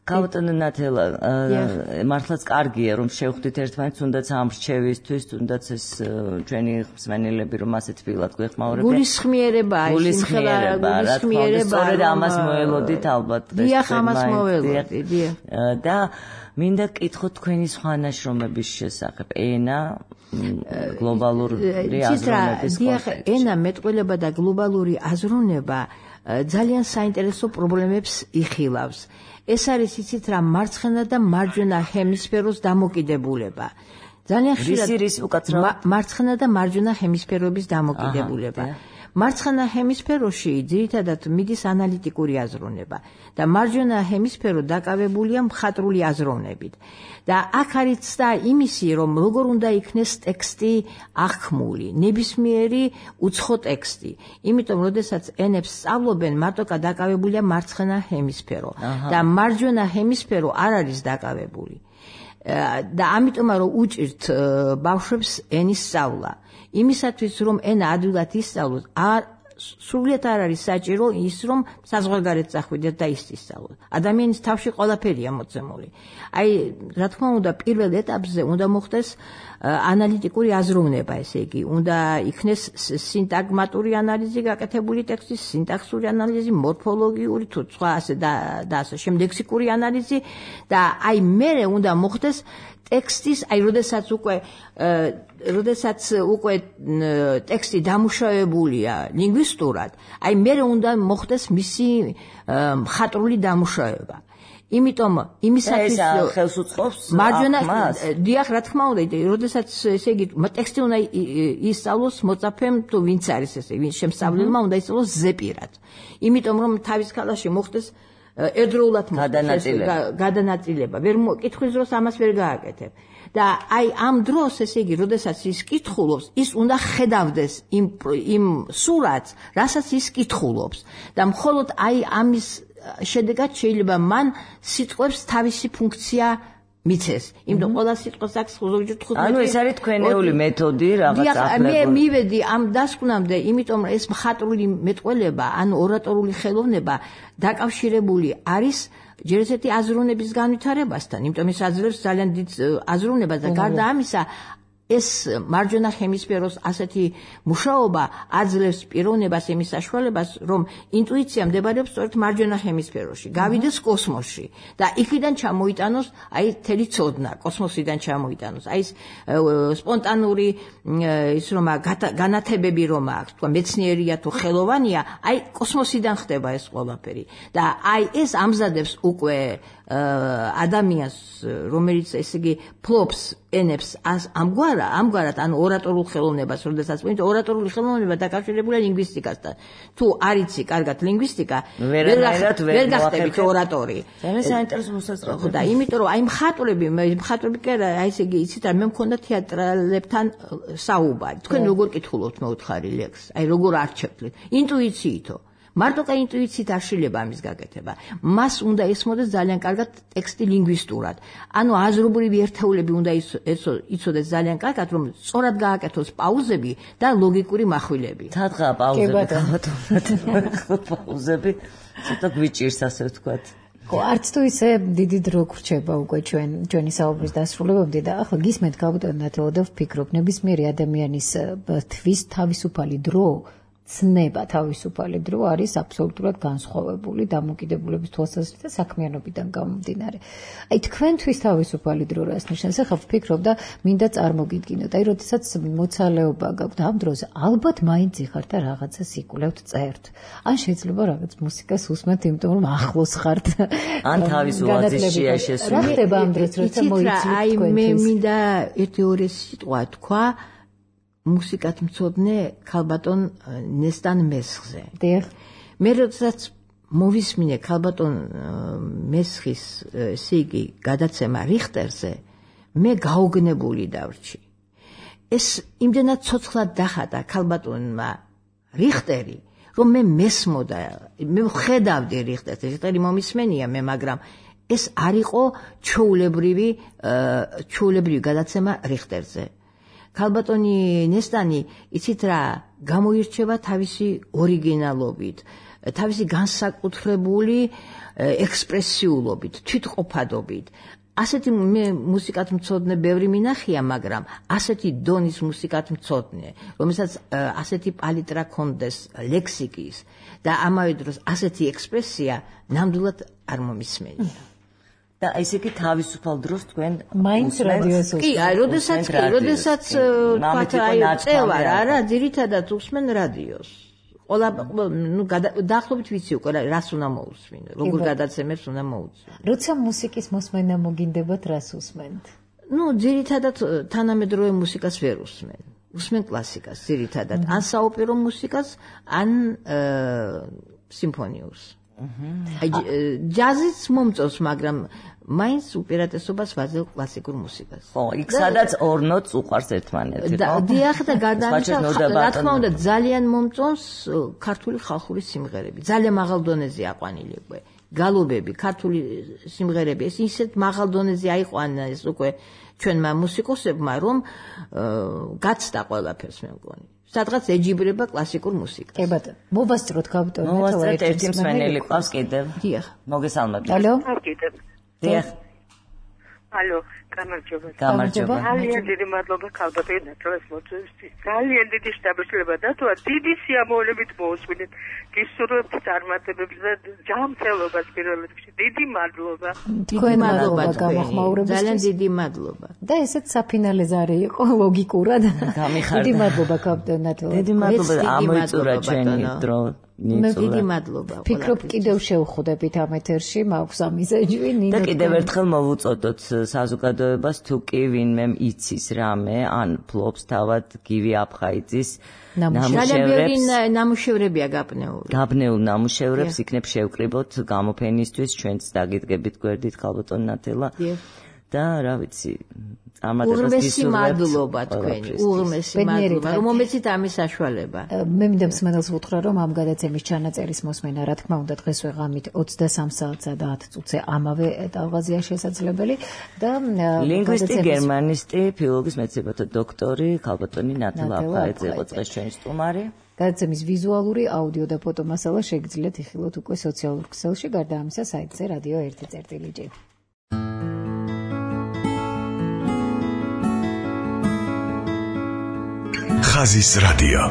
ქალბატონო ნათელა, მართლაც კარგია რომ შევხვდით ერთმანეთს, თუნდაც ამ რჩევისთვის, თუნდაც ეს ჩვენი მსმენელები რომ ასე თბილად გვეხმაურებიან. გულისხმიერებაა, გულისხმიერება, რა თქმა უნდა, სწორედ ამას მოელოდით ალბათ. დიახ, ამას მოელოდი, დიახ. და მინდა გკითხოთ თქვენი სხვა ნაშრომების შესახებ, ენა გლობალური აზროვნების დიახ, ენა მეტყველება და გლობალური აზროვნება ძალიან საინტერესო პრობლემებს იხილავს. ეს არის იცით რა მარცხენა და მარჯვენა ჰემისფეროს დამოკიდებულება. ძალიან ხშირად მარცხენა და მარჯვენა ჰემისფეროების დამოკიდებულება. მარცხენა ჰემისფეროში ძირითადად მიდის ანალიტიკური აზროვნება და მარჯვენა ჰემისფერო დაკავებულია მხატვრული აზროვნებით. და აქ არის და იმისი, რომ როგორ უნდა იქნეს ტექსტი აღქმული, ნებისმიერი უცხო ტექსტი. იმიტომ, როდესაც ენებს სწავლობენ, მარტო დაკავებულია მარცხენა ჰემისფერო და მარჯვენა ჰემისფერო არ არის დაკავებული. და ამიტომ რომ უჭირთ ბავშვებს ენის სწავლა. იმისათვის რომ ენა ადვილად ისწავლოს, არ სრულიად არ არის საჭირო ის რომ საზღვარგარეთ წახვიდეთ და ის ისწავლოთ. ადამიანის თავში ყველაფერია მოცემული. აი, რა თქმა უნდა, პირველ ეტაპზე უნდა მოხდეს ანალიტიკური აზროვნება, ესე იგი, უნდა იქნეს სინტაგმატური ანალიზი გაკეთებული ტექსტის, სინტაქსური ანალიზი, მორფოლოგიური თუ სხვა ასე და და ასე შემდეგ ლექსიკური ანალიზი და აი მერე უნდა მოხდეს ტექსტის, აი, როდესაც უკვე როდესაც უკვე ტექსტი დამუშავებულია ლინგვისტურად, აი მერე უნდა მოხდეს მისი მხატვრული დამუშავება. იმიტომ იმისათვის ხელს უწყობს მარჯვენა დიახ, რა თქმა უნდა, როდესაც ესე იგი ტექსტი უნდა ისწავლოს მოწაფემ თუ ვინც არის ესე, ვინც შემსწავლელმა უნდა ისწავლოს ზეპირად. იმიტომ რომ თავის ქალაში მოხდეს ერთდროულად გადანაწილება. ვერ კითხვის დროს ამას ვერ გააკეთებ. და აი ამ დროს ესე იგი, როდესაც ის კითხულობს, ის უნდა ხედავდეს იმ იმ სურათს, რასაც ის კითხულობს. და მხოლოდ აი ამის შედეგად შეიძლება მან სიტყვებს თავისი ფუნქცია მიცეს. იმიტომ ყველა სიტყვას აქვს ზოგჯერ თხუთმეტი. ანუ ეს არის თქვენეული მეთოდი რაღაც ახლებური. მე მივედი ამ დასკვნამდე, იმიტომ რომ ეს მხატვრული მეტყველება, ანუ ორატორული ხელოვნება დაკავშირებული არის ჯერ ესეთი აზროვნების განვითარებასთან, იმიტომ ის აძლევს ძალიან დიდ აზროვნებას და გარდა ამისა ეს მარჯვენა ჰემისფეროს ასეთი მუშაობა აძლევს პიროვნებას იმის საშუალებას, რომ ინტუიცია მდებარეობს სწორედ მარჯვენა ჰემისფეროში, გავიდეს კოსმოსში და იქიდან ჩამოიტანოს აი თელი ცოდნა, კოსმოსიდან ჩამოიტანოს. აი ეს სპონტანური ის რომ განათებები რომ აქვს, თქვა მეცნიერია თუ ხელოვანია, აი კოსმოსიდან ხდება ეს ყველაფერი. და აი ეს ამზადებს უკვე ადამიანს, რომელიც ესე იგი ფლობს ენებს ამგვარად, ამგვარად, ანუ ორატორულ ხელოვნებას, როდესაც ვინც ორატორული ხელოვნება დაკავშირებულია ლინგვისტიკასთან. თუ არ იცი კარგად ლინგვისტიკა, ვერ გახდებით ორატორი. ძალიან საინტერესო მოსაზრება. და იმიტომ რომ აი მხატვრები, მხატვრები კი არა, აი ესე იგი, იცით რა, მე მქონდა თეატრალებთან საუბარი. თქვენ როგორ კითხულობთ მეუთხარი ლექსს? აი როგორ არჩევთ? ინტუიციითო. მარტო კა ინტუიციით არ შეიძლება ამის გაკეთება. მას უნდა ესმოდეს ძალიან კარგად ტექსტი ლინგვისტურად. ანუ აზრობრივი ერთეულები უნდა იცოდეს ძალიან კარგად, რომ სწორად გააკეთოს პაუზები და ლოგიკური מחვილები. თათხა პაუზები, გაბატონოთ. პაუზები ცოტა გვიჭირს, ასე ვთქვათ. ხო, არც თუ ისე დიდი დრო გრჩება უკვე ჩვენ ჩვენი საუბრის დასრულებამდე და ახლა გისმენთ გაბატონოთ, რომ ვფიქრობ, ნებისმიერი ადამიანის თვის თავისუფალი დრო ცნება თავისუფალი დრო არის აბსოლუტურად განსხვავებული დამოკიდებულების თვალსაზრისით და საქმიანობიდან გამომდინარე. აი თქვენთვის თავისუფალი დრო რას ნიშნავს? ახლა ვფიქრობ და მინდა წარმოგიდგინოთ. აი როდესაც მოცალეობა გაქვთ ამ დროზე, ალბათ მაინც იხართ და რაღაცას იკვლევთ, წერთ. ან შეიძლება რაღაც მუსიკას უსმენთ, იმიტომ რომ ახლოს ხართ. ან თავის ოაზისშია შესული. რა ხდება ამ დროს, როცა მოიცით თქვენთვის? აი მე მინდა ერთი ორი სიტყვა თქვა მუსიკათ მცოდნე ქალბატონ ნესტან მესხზე. დიახ. მე როდესაც მოვისმინე ქალბატონ მესხის ესე იგი გადაცემა რიხტერზე, მე გაოგნებული დავრჩი. ეს იმდენად ცოცხლად დახატა ქალბატონმა რიხტერი, რომ მე მესმოდა, მე ხედავდი რიხტერს, რიხტერი მომისმენია მე, მაგრამ ეს არ იყო ჩვეულებრივი ჩვეულებრივი გადაცემა რიხტერზე. ქალბატონი ნესტანი, იცით რა, გამოირჩევა თავისი ორიგინალობით, თავისი განსაკუთრებული ექსპრესიულობით, თვითყოფადობით. ასეთი მე მუსიკათ მცოდნე ბევრი მინახია, მაგრამ ასეთი დონის მუსიკათ მცოდნე, რომელსაც ასეთი პალიტრა ქონდეს ლექსიკის და ამავე დროს ასეთი ექსპრესია ნამდვილად არ მომისმენია. და ესე იგი თავისუფალ დროს თქვენ მაინც რადიოს უსმენთ. კი, აი, როდესაც კი, როდესაც თქვათ აი წევარ, არა, ძირითადად უსმენ რადიოს. ყველა ნუ დაახლოებით ვიცი უკვე რას უნდა მოусმინო, როგორ გადაცემებს უნდა მოусმინო. როცა მუსიკის მოსმენა მოგინდებათ, რას უსმენთ? ნუ ძირითადად თანამედროვე მუსიკას ვერ უსმენ. უსმენ კლასიკას ძირითადად, ან საოპერო მუსიკას, ან სიმფონიურს. აი ჯაზიც მომწონს, მაგრამ მაინც უპირატესობას ვაძლევ კლასიკურ მუსიკას. ხო, იქ სადაც ორ ნოტს უყვარს ერთმანეთი, ხო? დიახ და გადაამცა, რა თქმა უნდა, ძალიან მომწონს ქართული ხალხური სიმღერები. ძალიან მაღალ დონეზე აყვანილი უკვე. გალობები, ქართული სიმღერები, ეს ისეთ მაღალ დონეზე აიყვანა ეს უკვე ჩვენმა მუსიკოსებმა, რომ გაცდა ყველაფერს მე მგონი. სადღაც ეჯიბრება კლასიკურ მუსიკას. კი ბატონო, მოვასწროთ გავიტოვოთ მოვასწროთ ერთი მსმენელი ყავს კიდევ. დიახ. მოგესალმებით. ალო? კიდევ. დიახ. ალო, გამარჯობა. გამარჯობა. ძალიან დიდი მადლობა ქალბატონო თავს მოწვევისთვის. ძალიან დიდი შთაბეჭდილება დათვა, დიდი სიამოვნებით მოусმინეთ. გისურვებთ წარმატებებს და ჯანმრთელობას პირველ რიგში. დიდი მადლობა. თქვენ მადლობა გამოხმაურებისთვის. ძალიან დიდი მადლობა. და ესეც საფინალე ზარი იყო ლოგიკურად. გამიხარდა. დიდი მადლობა კაპიტანად. დიდი მადლობა ამოიწურა ჩვენი დრო. მე დიდი მადლობა. ფიქრობ კიდევ შევხვდებით ამ ეთერში, მაქვს ამიზეჯვი ნინო. და კიდევ ერთხელ მოვუწოდოთ საზოგადოებას, თუ კი ვინმე იცის რამე, ან ფლობს თავად გივი აფხაიძის ნამუშევრებს. ნამუშევრებია გაბნეული. გაბნეულ ნამუშევრებს იქნებ შევკრიბოთ გამოფენისთვის, ჩვენც დაგიდგებით გვერდით ქალბატონ ნათელა. და რა ვიცი, წარმატებას უღმესი მადლობა თქვენი, უღმესი მადლობა, რომ მომეცით ამის საშუალება. მე მინდა მსმენელს ვუთხრა, რომ ამ გადაცემის ჩანაწერის მოსმენა, რა თქმა უნდა, დღეს ვეღამით ოცდასამ საათსა და ათ წუთზე ამავე ტალღაზია შესაძლებელი და ლინგვისტი, გერმანისტი, ფილოლოგიის მეცნიერებათა დოქტორი ქალბატონი ნათელა აფხაიძე იყო დღეს ჩვენი სტუმარი. გადაცემის ვიზუალური, აუდიო და ფოტო მასალა შეგიძლიათ იხილოთ უკვე სოციალურ ქსელში, გარდა ამისა საიტზე რადიო ერთი წერტილი. ხაზის რადიო.